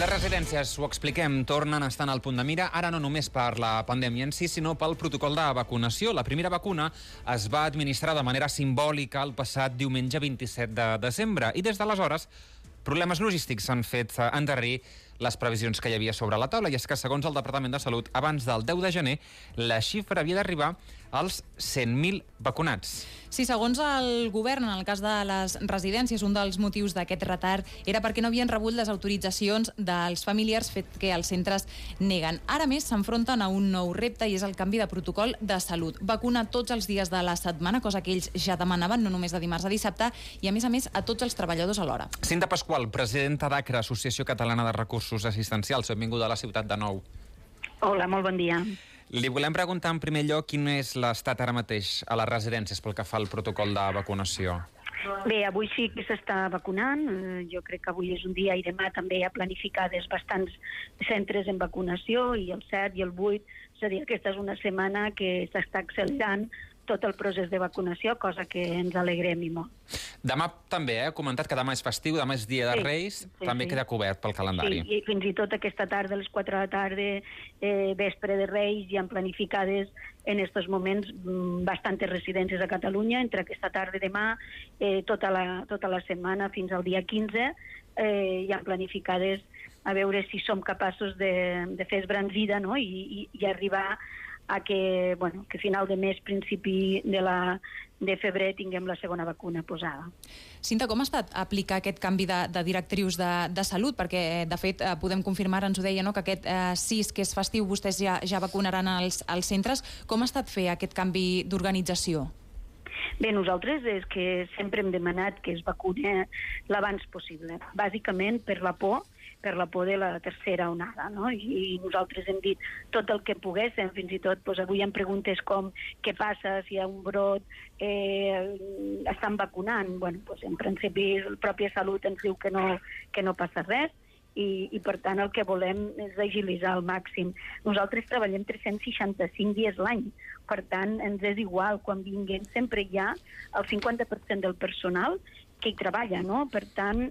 Les residències, ho expliquem, tornen estant al punt de mira, ara no només per la pandèmia en si, sinó pel protocol de vacunació. La primera vacuna es va administrar de manera simbòlica el passat diumenge 27 de desembre i des d'aleshores problemes logístics s'han fet endarrerir les previsions que hi havia sobre la taula, i és que, segons el Departament de Salut, abans del 10 de gener, la xifra havia d'arribar als 100.000 vacunats. Sí, segons el govern, en el cas de les residències, un dels motius d'aquest retard era perquè no havien rebut les autoritzacions dels familiars, fet que els centres neguen. Ara més s'enfronten a un nou repte i és el canvi de protocol de salut. Vacunar tots els dies de la setmana, cosa que ells ja demanaven, no només de dimarts a dissabte, i a més, a tots els treballadors alhora. Cinta Pasqual, presidenta d'ACRA, Associació Catalana de Recursos Assistencials. Benvinguda a la ciutat de nou. Hola, molt bon dia. Li volem preguntar en primer lloc quin és l'estat ara mateix a les residències pel que fa al protocol de vacunació. Bé, avui sí que s'està vacunant. Jo crec que avui és un dia i demà també hi ha planificades bastants centres en vacunació, i el 7 i el 8, és a dir, aquesta és una setmana que s'està accelerant tot el procés de vacunació, cosa que ens alegrem i molt. Demà també, ha comentat que demà és festiu, demà és dia de Reis, també queda cobert pel calendari. Sí, i fins i tot aquesta tarda, a les 4 de la tarda, vespre de Reis, ja han planificades en aquests moments bastantes residències a Catalunya, entre aquesta tarda i demà, tota la setmana fins al dia 15, ja han planificades a veure si som capaços de fer esbranzida, no? I arribar a que a final de mes, principi de febrer, tinguem la segona vacuna posada. Cinta, com ha estat aplicar aquest canvi de directrius de salut? Perquè, de fet, podem confirmar, ens ho deia, no?, que aquest 6, que és festiu, vostès ja vacunaran als centres. Com ha estat fer aquest canvi d'organització? Bé, nosaltres és que sempre hem demanat que es vacune l'abans possible, bàsicament per la por de la tercera onada, no? I nosaltres hem dit tot el que poguéssim, fins i tot avui hi ha preguntes com què passa si hi ha un brot, estan vacunant. En principi la pròpia Salut ens diu que no passa res, i per tant el que volem és agilitzar al màxim. Nosaltres treballem 365 dies l'any, per tant ens és igual, quan vinguem sempre hi ha el 50% del personal que hi treballa, no? Per tant,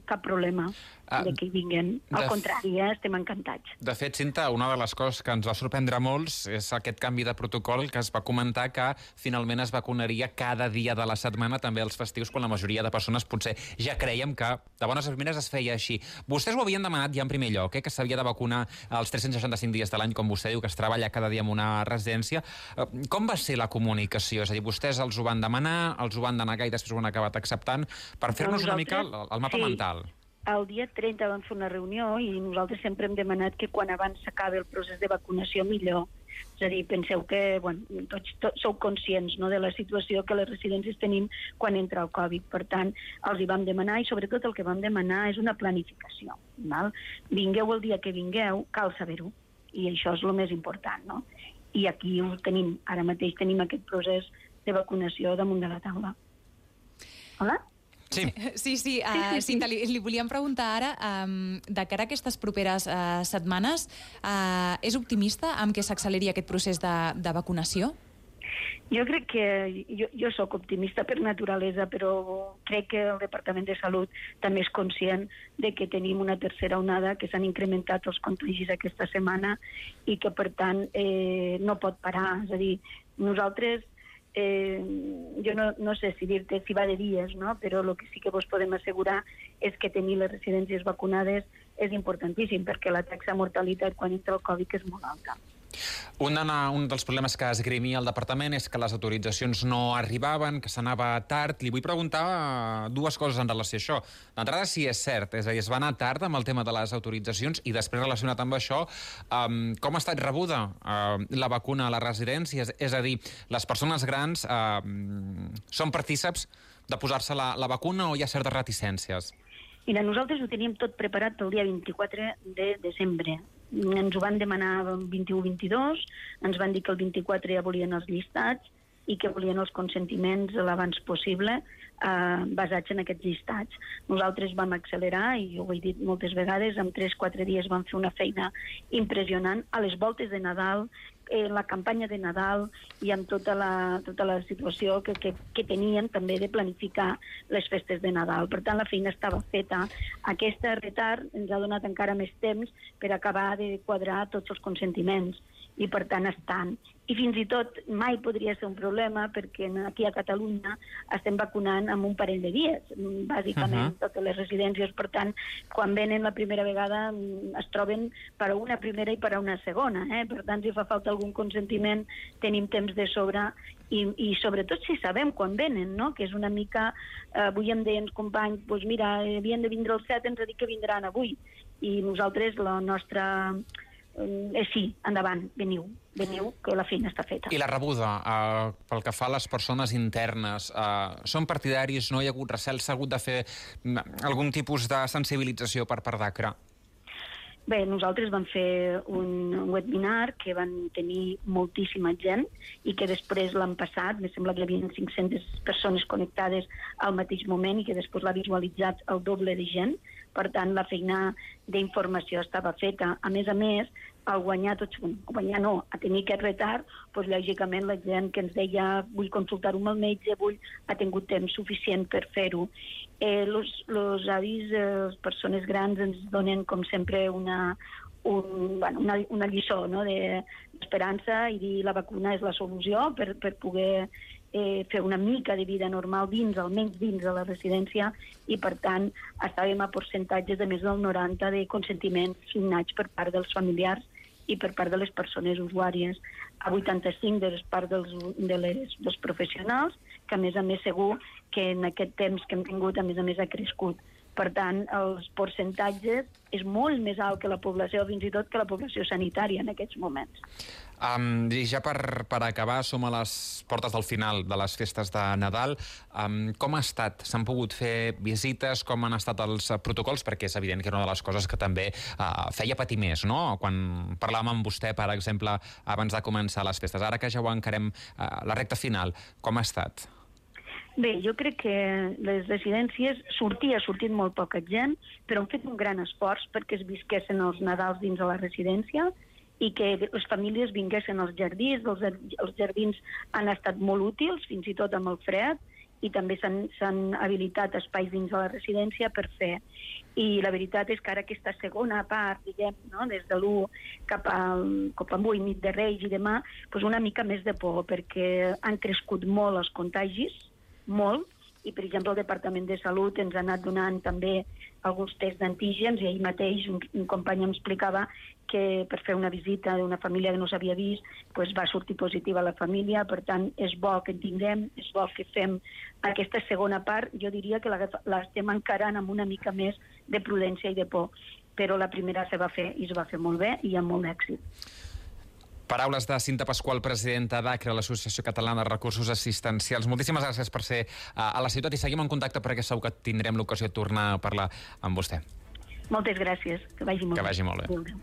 cap problema de que hi vinguin. Al contrari, estem encantats. De fet, Cinta, una de les coses que ens va sorprendre molts és aquest canvi de protocol, que es va comentar que finalment es vacunaria cada dia de la setmana, també els festius, quan la majoria de persones potser ja creiem que de bones a primeres es feia així. Vostès ho havien demanat ja en primer lloc, que s'havia de vacunar els 365 dies de l'any, com vostè diu, que es treballa cada dia en una residència. Com va ser la comunicació? És a dir, vostès els ho van demanar, els ho van denegar i després ho han acabat acceptant, per fer-nos una mica el mapa mental. El dia 30 vam fer una reunió i nosaltres sempre hem demanat que quan abans s'acabi el procés de vacunació millor. És a dir, penseu que tots sou conscients, no?, de la situació que les residències tenim quan entra el Covid. Per tant, els hi vam demanar, i sobretot el que vam demanar és una planificació. Val? Vingueu el dia que vingueu, cal saber-ho, i això és el més important, no? I aquí ho tenim, ara mateix tenim aquest procés de vacunació damunt de la taula. Hola? Sí. Cinta, li volíem preguntar ara, de cara a aquestes properes setmanes, és optimista amb què s'acceleri aquest procés de vacunació? Jo crec que jo sóc optimista per naturalesa, però crec que el Departament de Salut també és conscient de que tenim una tercera onada, que s'han incrementat els contagis aquesta setmana i que, per tant, no pot parar. És a dir, nosaltres jo no sé si dir-te si va de dies, no? Però el que sí que vos podem assegurar és que tenir les residències vacunades és importantíssim, perquè la taxa de mortalitat quan entra el Covid és molt alta. Un dels problemes que esgrimia el departament és que les autoritzacions no arribaven, que s'anava tard. Li vull preguntar dues coses en relació a això. D'entrada, si és cert, és a dir, es va anar tard amb el tema de les autoritzacions, i després, relacionat amb això, com ha estat rebuda la vacuna a les residències? És a dir, les persones grans són partíceps de posar-se la vacuna o hi ha certes reticències? Mira, nosaltres ho teníem tot preparat pel dia 24 de desembre. Ens ho van demanar el 21-22, ens van dir que el 24 ja volien els llistats i que volien els consentiments l'abans possible, basats en aquests llistats. Nosaltres vam accelerar, i ho he dit moltes vegades, en 3-4 dies vam fer una feina impressionant. A les voltes de Nadal la campanya de Nadal i amb tota la situació que tenien també de planificar les festes de Nadal. Per tant, la feina estava feta. Aquest retard ens ha donat encara més temps per acabar de quadrar tots els consentiments i per tant estan. I fins i tot mai podria ser un problema perquè aquí a Catalunya estem vacunant en un parell de dies, bàsicament totes les residències. Per tant, quan venen la primera vegada es troben per a una primera i per a una segona. Per tant, si fa falta algun consentiment tenim temps de sobre i sobretot si sabem quan venen, no? Que és una mica... Avui em deien els companys, doncs mira, havien de vindre el 7, ens ha dit que vindran avui. I nosaltres, la nostra... sí, endavant, veniu, que la feina està feta. I la rebuda, pel que fa a les persones internes, són partidaris, no hi ha hagut recel, s'ha hagut de fer algun tipus de sensibilització per part d'ACRA? Bé, nosaltres vam fer un webinar que van tenir moltíssima gent i que després l'han passat, me sembla que hi havia 500 persones connectades al mateix moment i que després l'ha visualitzat el doble de gent. Per tant, la feina d'informació estava feta. A més, al guanyar a tenir aquest retard, doncs, lògicament la gent que ens deia vull consultar-ho amb el metge, ha tingut temps suficient per fer-ho. Els avis, les persones grans ens donen, com sempre, una lliçó, no?, d'esperança i dir la vacuna és la solució per poder fer una mica de vida normal almenys dins de la residència i, per tant, estàvem a percentatges de més del 90 de consentiments signats per part dels familiars i per part de les persones usuàries, a 85 de les part dels professionals, que a més segur que en aquest temps que hem tingut, a més ha crescut. Per tant, els percentatges és molt més alt que la població, fins i tot que la població sanitària en aquests moments. I ja per acabar, som a les portes del final de les festes de Nadal. Com ha estat? S'han pogut fer visites? Com han estat els protocols? Perquè és evident que era una de les coses que també feia patir més, no? Quan parlàvem amb vostè, per exemple, abans de començar les festes. Ara que ja ho encarem la recta final, com ha estat? Bé, jo crec que les residències ha sortit molt poca gent, però han fet un gran esforç perquè es visquessin els Nadals dins de la residència i que les famílies vinguessin als jardins. Els jardins han estat molt útils, fins i tot amb el fred, i també s'han habilitat espais dins de la residència per fer. I la veritat és que ara aquesta segona part, diguem, no?, des de l'1 cap avui, nit de Reis i demà, doncs una mica més de por, perquè han crescut molt els contagis, molt, i per exemple el Departament de Salut ens ha anat donant també alguns tests d'antígens i ahir mateix un company em explicava que per fer una visita d'una família que no s'havia vist doncs va sortir positiva la família. Per tant, és bo que en tinguem, és bo que fem aquesta segona part. Jo diria que l'estem encarant amb una mica més de prudència i de por, però la primera se va fer i es va fer molt bé i amb molt d'èxit. Paraules de Cinta Pasqual, presidenta d'ACRA, l'Associació Catalana de Recursos Assistencials. Moltíssimes gràcies per ser a la ciutat i seguim en contacte perquè segur que tindrem l'ocasió de tornar a parlar amb vostè. Moltes gràcies. Que vagi molt bé. Que vagi molt bé.